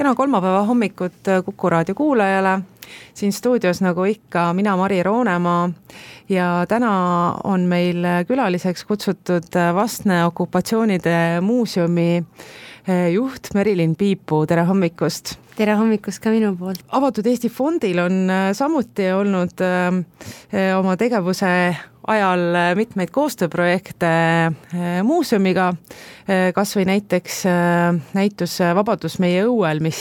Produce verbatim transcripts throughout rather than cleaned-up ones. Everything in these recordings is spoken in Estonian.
Kena kolmapäeva hommikut Kuku raadio kuulajale. Siin stuudios nagu ikka mina Mari Roonemaa ja täna on meil külaliseks kutsutud Vastne okupatsioonide muuseumi juht Merilin Piipu. Tere hommikust! Tere hommikust ka minu poolt! Avatud Eesti Fondil on samuti olnud oma tegevuse ajal mitmeid koostööprojekte muuseumiga, kas või näiteks näitus Vabadus meie õuel, mis,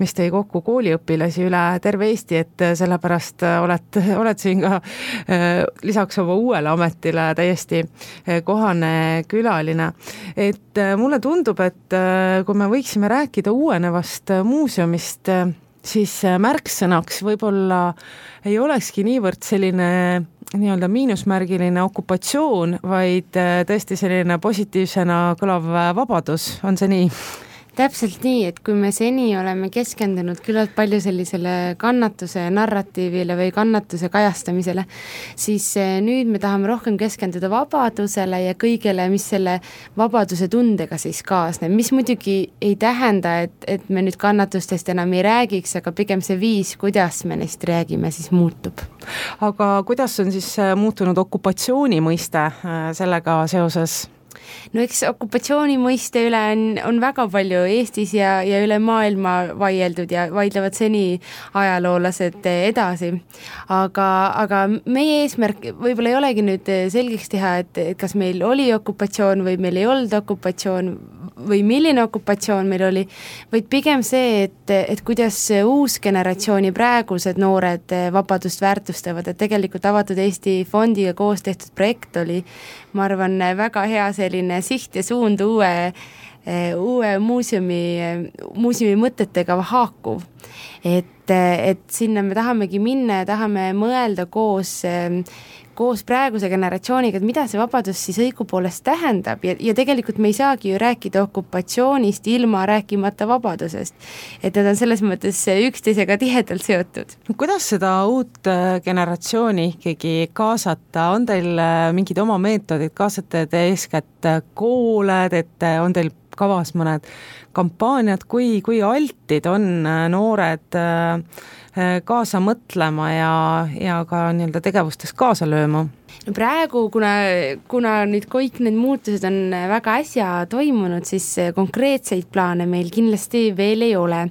mis tõi kokku kooliõpilasi üle terve Eesti, et sellepärast oled, oled siin ka lisaks oma uuele ametile täiesti kohane külaline. Et mulle tundub, et kui me võiksime rääkida uuenevast muuseumist, siis märksõnaks võib-olla ei olekski niivõrd selline nii-öelda miinusmärgiline okupatsioon, vaid tõesti selline positiivsena kõlav vabadus. On see nii? Täpselt nii, et kui me seni oleme keskendunud küllalt palju sellisele kannatuse narratiivile või kannatuse kajastamisele, siis nüüd me tahame rohkem keskenduda vabadusele ja kõigele, mis selle vabaduse tundega siis kaasneb, mis muidugi ei tähenda, et, et me nüüd kannatustest enam ei räägiks, aga pigem see viis, kuidas me neist räägime, siis muutub. Aga kuidas on siis muutunud okupatsiooni mõiste sellega seoses? No eks okupatsiooni mõiste üle on, on väga palju Eestis ja, ja üle maailma vaieldud ja vaidlevad seni ajaloolased edasi. Aga, aga meie eesmärk võib-olla ei olegi nüüd selgeks teha, et, et kas meil oli okupatsioon või meil ei olnud okupatsioon või milline okupatsioon meil oli, vaid pigem see, et, et kuidas uus generatsiooni praegused noored vabadust väärtustavad, et tegelikult Avatud Eesti Fondiga koos tehtud projekt oli, ma arvan, väga hea selline siht ja suund uue, uue muuseumi, muuseumi mõtetega haakuv. Et, et sinna me tahamegi minna ja tahame mõelda koos koos praeguse generatsiooniga, et mida see vabadus siis õigupoolest tähendab ja, ja tegelikult me ei saagi ju rääkida okupatsioonist ilma rääkimata vabadusest. Et need on selles mõttes üksteisega tihedalt seotud. Kuidas seda uut generatsiooni ikkagi kaasata? On teil mingid oma meetodid? Kaasate te eeskätt koole, et on teil kavas mõned kampaaniad, kui, kui altid on noored kaasa mõtlema ja, ja ka nii-öelda tegevustes kaasa lööma? No praegu, kuna, kuna nüüd kõik need muutused on väga äsja toimunud, siis konkreetseid plaane meil kindlasti veel ei ole.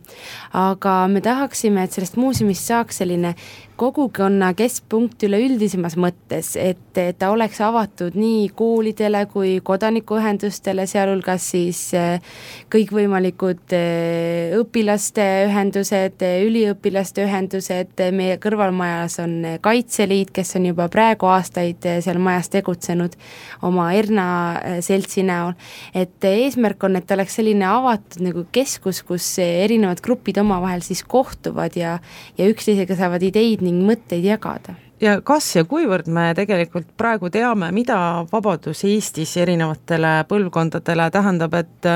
Aga me tahaksime, et sellest muuseumist saaks selline kogukonna keskpunkt üleüldisemas mõttes, et, et ta oleks avatud nii koolidele kui kodanikuühendustele, sealhulgas siis kõikvõimalikud õpilaste ühendused, üliõpilaste ühendused, meie kõrvalmajas on Kaitseliit, kes on juba praegu aastaid seal majas tegutsenud oma Erna seltsi näol, et eesmärk on, et ta oleks selline avatud nagu keskus, kus erinevad grupid omavahel siis kohtuvad ja, ja üksteisega saavad ideid ning mõtteid jagada. Ja kas ja kuivõrd me tegelikult praegu teame, mida vabadus Eestis erinevatele põlvkondadele tähendab, et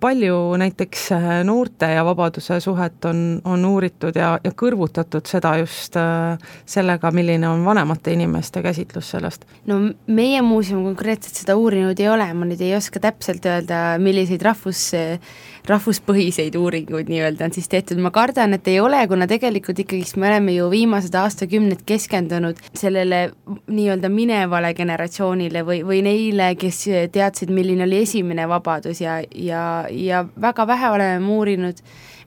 palju näiteks noorte ja vabaduse suhet on, on uuritud ja, ja kõrvutatud seda just sellega, milline on vanemate inimeste käsitlus sellest? No meie muuseum konkreetselt seda uurinud ei ole, ma nüüd ei oska täpselt öelda, milliseid rahvus, rahvuspõhiseid uuringuid nii-öelda on siis tehtud. Ma kardan, et ei ole, kuna tegelikult ikkagi me oleme ju viimased aastakümned keskendunud sellele nii-öelda minevale generatsioonile või, või neile, kes teadsid, milline oli esimene vabadus ja, ja Ja, ja väga vähe oleme uurinud,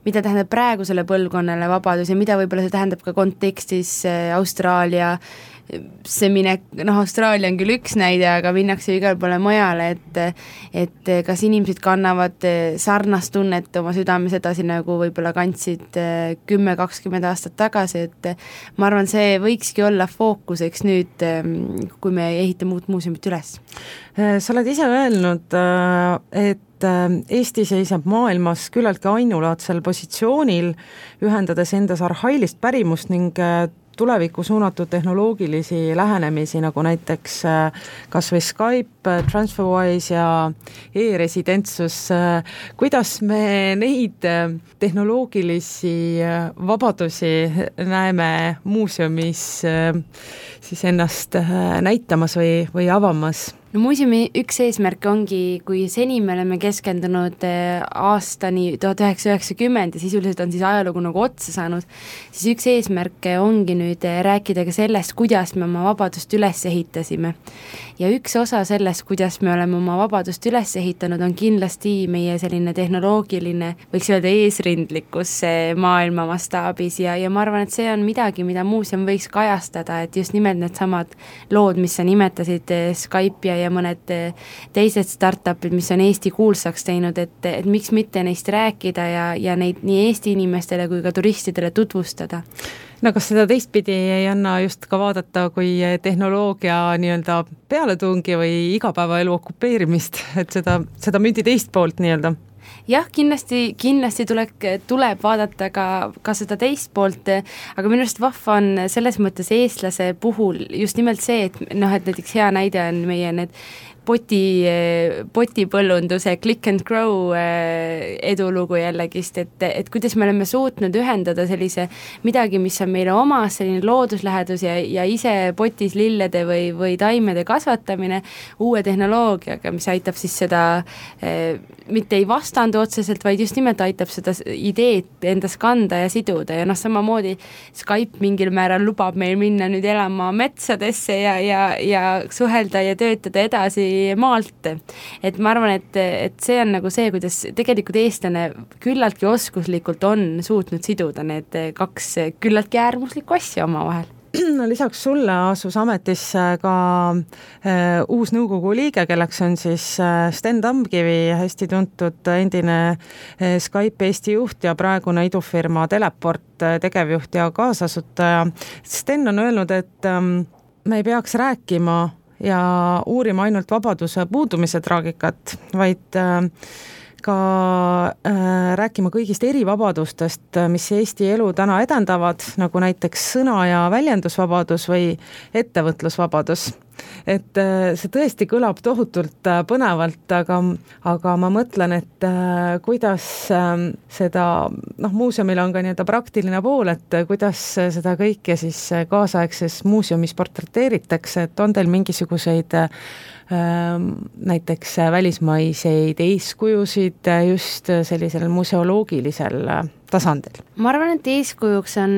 mida tähendab praegusele põlvkonnale vabadus ja mida võib-olla see tähendab ka kontekstis Austraalia, see minek, noh Austraalia on küll üks näide, aga minnakse igal poole mujale, et, et kas inimesed kannavad sarnast tunnet oma südames edasi, nagu võib-olla kandsid kümme kakskümmend aastat tagasi, et ma arvan, see võikski olla fookuseks nüüd, kui me ehitame uut muuseumit üles. Sa oled ise öelnud, et Eesti seisab maailmas küllaltki ainulaadsel positsioonil, ühendades endas arhailist pärimust ning tulevikku suunatud tehnoloogilisi lähenemisi, nagu näiteks kas või Skype, TransferWise ja e-residentsus. Kuidas me neid tehnoloogilisi vabadusi näeme muuseumis siis ennast näitamas või, või avamas? no muuseumi üks eesmärk ongi, kui seni me oleme keskendunud aastani tuhat üheksasada üheksakümmend ja sisuliselt on siis ajalugu nagu otsa saanud, siis üks eesmärk ongi nüüd rääkida ka sellest, kuidas me oma vabadust üles ehitasime. Ja üks osa sellest, kuidas me oleme oma vabadust üles ehitanud, on kindlasti meie selline tehnoloogiline, võiks öelda eesrindlikkus maailma mastaabis ja, ja ma arvan, et see on midagi, mida muuseum võiks kajastada, et just nimelt need samad lood, mis sa nimetasid, Skype ja ja mõned teised startupid, mis on Eesti kuulsaks teinud, et, et miks mitte neist rääkida ja, ja neid nii Eesti inimestele kui ka turistidele tutvustada. No kas seda teistpidi ei anna just ka vaadata kui tehnoloogia nii-öelda pealetungi või igapäevaelu okupeerimist, et seda, seda mündi teist poolt nii-öelda? Jah, kindlasti, kindlasti tuleb, tuleb vaadata ka, ka seda teist poolt, aga minu arust vahva on selles mõttes eestlase puhul just nimelt see, et, noh, et näiteks hea näide on meie need poti, potipõllunduse click and grow edulugu jällegist, et, et kuidas me oleme suutnud ühendada sellise midagi, mis on meile omas, selline looduslähedus ja, ja ise potis lillede või, või taimede kasvatamine uue tehnoloogiaga, mis aitab siis seda eh, mitte ei vastandu otseselt, vaid just nimelt aitab seda ideed endas kanda ja siduda ja noh, samamoodi Skype mingil määral lubab meil minna nüüd elama metsadesse ja, ja, ja suhelda ja töötada edasi maalt, et ma arvan, et, et see on nagu see, kuidas tegelikult eestlane küllaltki oskuslikult on suutnud siduda need kaks küllaltki äärmuslikku asja oma vahel. No, lisaks sulle asus ametisse ka äh, uus nõukogu liige, kelleks on siis äh, Sten Tamkivi, hästi tuntud endine äh, Skype Eesti juht ja praegune idufirma Teleport äh, tegevjuht ja kaasasutaja. Sten on öelnud, et ähm, me ei peaks rääkima ja uurima ainult vabaduse puudumise traagikat, vaid äh, ka äh, rääkima kõigist erivabadustest, mis Eesti elu täna edendavad, nagu näiteks sõna- ja väljendusvabadus või ettevõtlusvabadus. Et äh, see tõesti kõlab tohutult äh, põnevalt, aga, aga ma mõtlen, et äh, kuidas äh, seda, noh, muuseumil on ka nii-öelda praktiline pool, et äh, kuidas seda kõike siis kaasaegses muuseumis portreteeritakse, et on teil mingisuguseid äh, näiteks välismaiseid eeskujusid just sellisel museoloogilisel tasandil? Ma arvan, et eeskujuks on,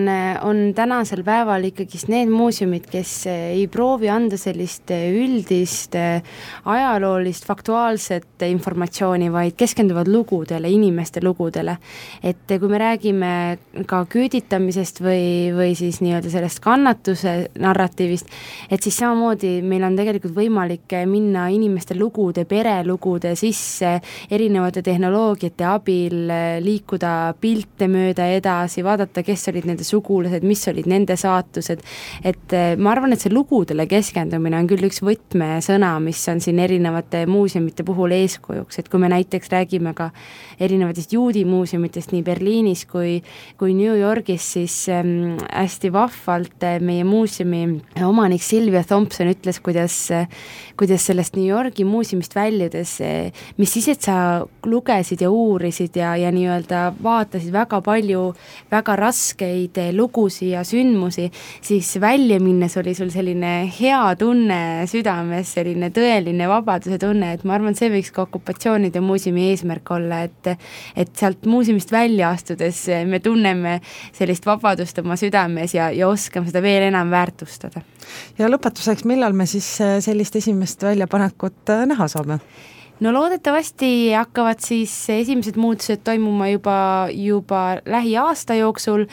on tänasel päeval ikkagist need muuseumid, kes ei proovi anda sellist üldist ajaloolist, faktuaalset informatsiooni, vaid keskenduvad lugudele, inimeste lugudele. Et kui me räägime ka küüditamisest või, või siis nii-öelda sellest kannatuse narratiivist, et siis samamoodi meil on tegelikult võimalik minna inimeste lugude, perelugude sisse erinevate tehnoloogiate abil, liikuda pilte mööda edasi, vaadata, kes olid nende sugulased, mis olid nende saatused, et ma arvan, et see lugudele keskendumine on küll üks võtmesõna, mis on siin erinevate muuseumite puhul eeskujuks, et kui me näiteks räägime ka erinevatest juudi muuseumitest nii Berliinis kui, kui New Yorgis, siis ähm, hästi vahvalt meie muuseumi omanik Sylvia Thompson ütles, kuidas, kuidas sellest New Yorgi muuseumist väljudes, mis siis, et sa lugesid ja uurisid ja, ja nii-öelda vaatasid väga palju väga raskeid lugusi ja sündmusi, siis välja minnes oli sul selline hea tunne südames, selline tõeline vabaduse tunne, et ma arvan, see võiks ka okupatsioonide muuseumi eesmärk olla, et, et sealt muuseumist välja astudes me tunneme sellist vabadust oma südames ja, ja oskame seda veel enam väärtustada. Ja lõpetuseks, millal me siis sellist esimest väljapanekut näha saame? No loodetavasti hakkavad siis esimesed muutused toimuma juba, juba lähiaasta jooksul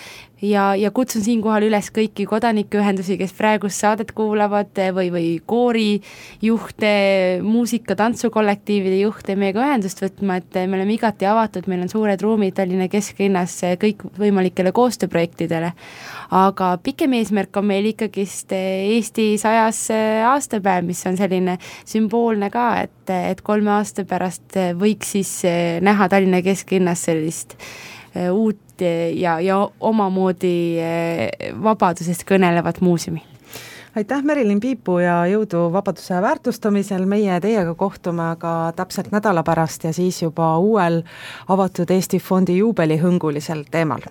ja, ja kutsun siinkohal üles kõiki kodanikuühendusi, kes praegust saadet kuulavad või, või koorijuhte, muusika, tantsukollektiivide juhte meiega ühendust võtma, et me oleme igati avatud, meil on suured ruumid Tallinna kesklinnas kõik võimalikele koostööprojektidele. Aga pikem eesmärk on meil ikkagist Eesti sajas aastapäev, mis on selline sümboolne ka, et, et kolme aasta pärast võiks siis näha Tallinna kesklinnas sellist uut ja, ja omamoodi vabadusest kõnelevat muuseumi. Aitäh, Merilin Piipu ja jõudu vabaduse väärtustamisel. Meie teiega kohtume aga täpselt nädala pärast ja siis juba uuel avatud Eesti fondi juubelihõngulisel teemal.